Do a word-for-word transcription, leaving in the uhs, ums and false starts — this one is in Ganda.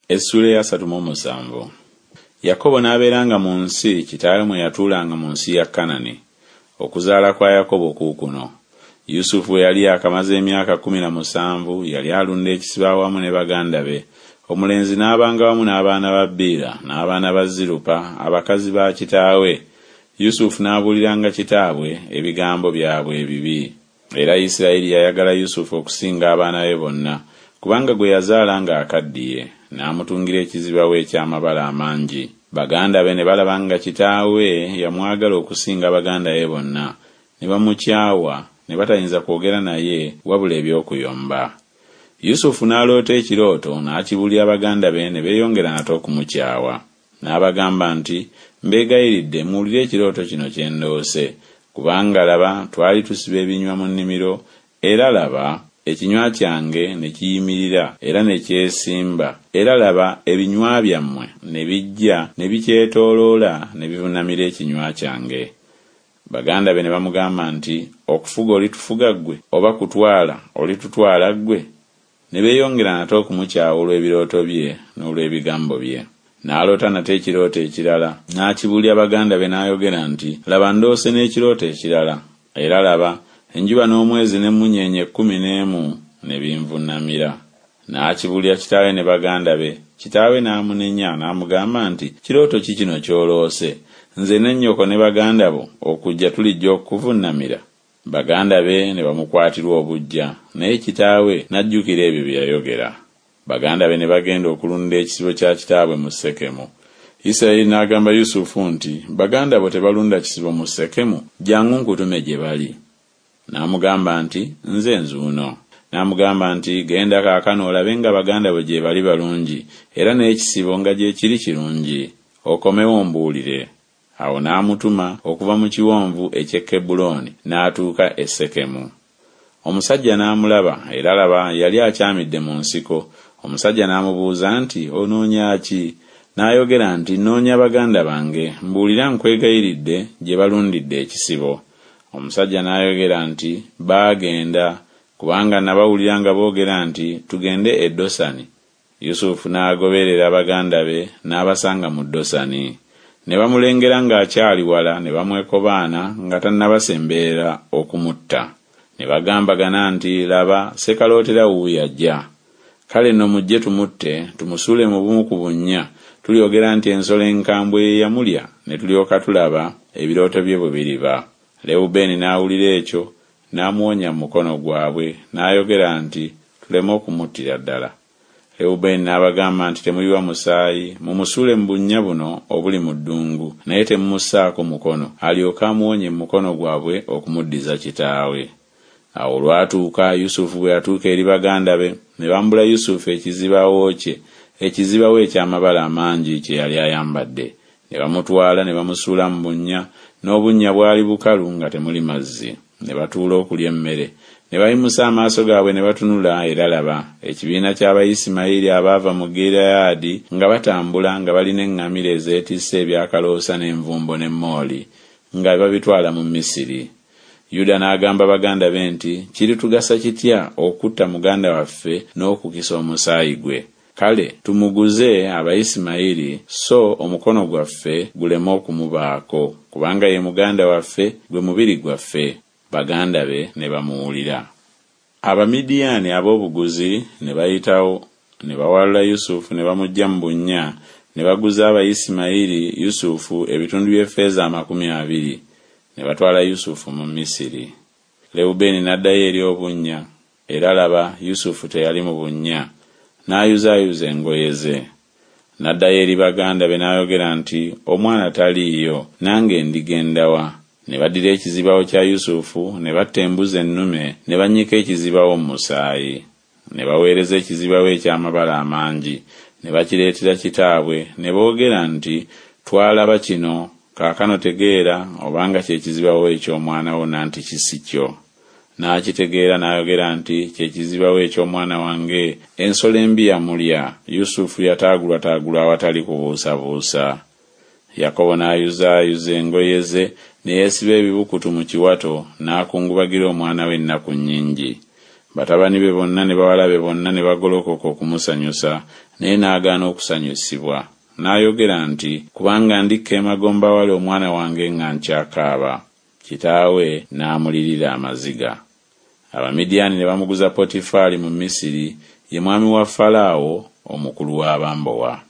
Essuula ey'asatu mu omusanvu. Yakobo n'abeeranga mu nsi kitaawe mwe yatuulanga mu nsi ya Kanani. Okuzaala kwa Yakobo kuukuno. Yusufu bwe yali yaakamaze emyaka kkumi na musanvu yali alunda ekisibo awamu ne baganda be, omulenzi n'abanga wamu n'abaana ba Biira n'abaana ba Zirupa abakazi ba kitaawe. Yusufu n'abuuliranga kitaabwe ebigambo byabwe ebibi. Era Isirayiri yayagala Yusufu okusinga abaana be bonna, kubanga gwe yazaala ng'akaddiye, n'amutungira ekizibawo eky'amabala amangi. Baganda be ne balaba nga kitaawe yamwagala okusinga baganda be bonna, ne bamukyawa, ne batayinza kwogera naye wabula eby'okuyomba. Yusufu n'aloota ekirooto, n'akibuulira baganda be, ne beeyongera nate okumukyawa. N'abagamba nti, Mbeegayiridde muwulire ekirooto kino kye ndoose. Kubanga laba, twali tusiba ebinywa mu nnimiro, era laba, ekinywa kyange ne kiyimirira era ne kyesimba, era laba, ebinywa byammwe ne bijja ne bikyetooloola ne bivunnamira ekinywa kyange. Baganda be ne bamugamba nti, Okufuga olitufuga ggwe, oba kutwala olitutwala ggwe? Ne beeyongera nate okumukyawa olw'ebirooto bye n'olw'ebigambo bye. N'aloota nate ekirooto ekirala, n'akibuulira baganda be n'ayogera nti, Laba ndoose n'ekirooto ekirala, era laba, enjuba n'omwezi n'emmunyeenye ekkumi n'emu ne binvunnamira. N'akibuulira kitaawe ne baganda be, kitaawe n'amunenya n'amugamba nti, Kirooto ki kino ky'oloose? Nze ne nnyoko ne baganda bo okujja tulijja okukuvunnamira? Baganda be ne bamukwatirwa obuggya, naye kitaawe n'ajjukira ebyo bye yayogera. Baganda be ne bagenda okulunda ekisibo kya kitaabwe mu Sekemu. Isirayiri n'agamba Yusufu nti, Baganda bo tebalunda kisibo mu Sekemu? Jjangu nkutume gye bali. N'amugamba nti, Nze nzuuno. N'amugamba nti, Genda kaakano olabe nga baganda bo gye bali balungi, era n'ekisibo nga gye kiri kirungi. Okomewo ombuulire. Awo n'amutuma okuva mu kiwonvu eky'e Kebbulooni, n'atuuka e Sekemu. Omusajja n'amulaba, era laba, yali akyamidde mu nsiko. Omusajja n'amubuuza nti, Onoonya ki? N'ayogera nti, Nnoonya baganda bange, mbuulira nkwegayiridde gye balundidde ekisibo. Omusajja n'ayogera nti, Baagenda, kubanga nabawulira nga boogera nti, Tugende e Dosani. Yusufu n'agoberera baganda be n'abasanga mu Dosani. Ne bamulengera ng'akyali wala ne bamwekobaana nga tannabasemberera okumutta. Ne bagambagana nti, Laba, ssekalootera wuuyo ajja. Kale nno mujje tumutte, tumusuule mu bumu ku bunnya, tulyogera nti ensolo enkambwe ye yamulya, ne tulyoka tulaba ebirooto bye bwe biriba. Lewubeeni n'awulira ekyo, n'amuwonya mu mukono gwabwe, n'ayogera nti, Tuleme okumuttira ddala. Lewubeeni n'abagamba nti, Temuyiwa musaayi, mumusuule mu bunnya buno obuli mu ddungu, naye temumussaako mukono, alyoke amuwonye mu mukono gwabwe okumuddiza kitaawe. Awo olwatuuka Yusufu bwe yatuuka eri baganda be, ne bambula Yusufu ekizibawo kye, ekizibawo eky'amabala amangi kye yali ayambadde. Ne bamutwala ne bamusuula mu bunnya, n'obunnya bwali bukalu nga temuli mazzi. Ne batuula okulya emmere. Ne bayimusa amaaso gaabwe ne batunula, era laba, ekibiina ky'Abayisimayiri abaava mu Gireyaadi nga batambula nga balina eŋŋamira ezeetisse ebyakaloosa n'envumbo n'emmooli, nga babitwala mu Misiri. Yuda n'agamba baganda be nti, Kiritugasa kitya okutta muganda waffe n'okukisa omusaayi gwe? Kale tumuguze Abayisimayiri, so omukono gwaffe guleme okumubaako, kubanga ye muganda waffe, gwe mubiri gwaffe. Baganda be ne bamuwulira. Abamidiyaani ab'obuguzi ne bayitawo, ne bawalula Yusufu ne bamuggya mu bunnya, ne baguza Abayisimayiri Yusufu ebitundu by'effeeza amakumi abiri. Ne batwala Yusufu mu Misiri. Lewubeeni n'addayo eri obunnya, era laba, Yusufu teyali mu bunnya, n'ayuzaayuza engoye ze. N'addayo eri baganda be n'ayogera nti, Omwana taliiyo, nange ndigenda wa? Ne baddira ekizibawo kya Yusufu, ne batta embuzi ennume, ne bannyika ekizibawo mu musaayi. Ne baweereza ekizibawo eky'amabala amangi, ne bakireetera kitaabwe, ne boogera nti, Twalaba kino, kaakano tegeera obanga kye kizibawo eky'omwana wo nanti si kyo. N'akitegeera n'ayogera nti, Kye kizibawo eky'omwana wange, ensolo embi yamulya. Yusufu yataagulwataagulwa awatali kubuusabuusa. Yakobo n'ayuzaayuza engoye ze, ne yeesiba ebibukutu mu kiwato, n'akungubagira omwana we ennaku nnyingi. Batabani be bonna ne bawala be bonna ne bagolokoka okumusanyusa, naye n'agaana okusanyusibwa. N'ayogera nti Kubanga ndikka emagombe awali omwana wange nga nkyakaaba. Kitaawe n'amulirira amaziga. Abamidiyaani ne bamuguza Potifaali mu Misiri, ye mwami wa Falaawo, omukulu w'abambowa.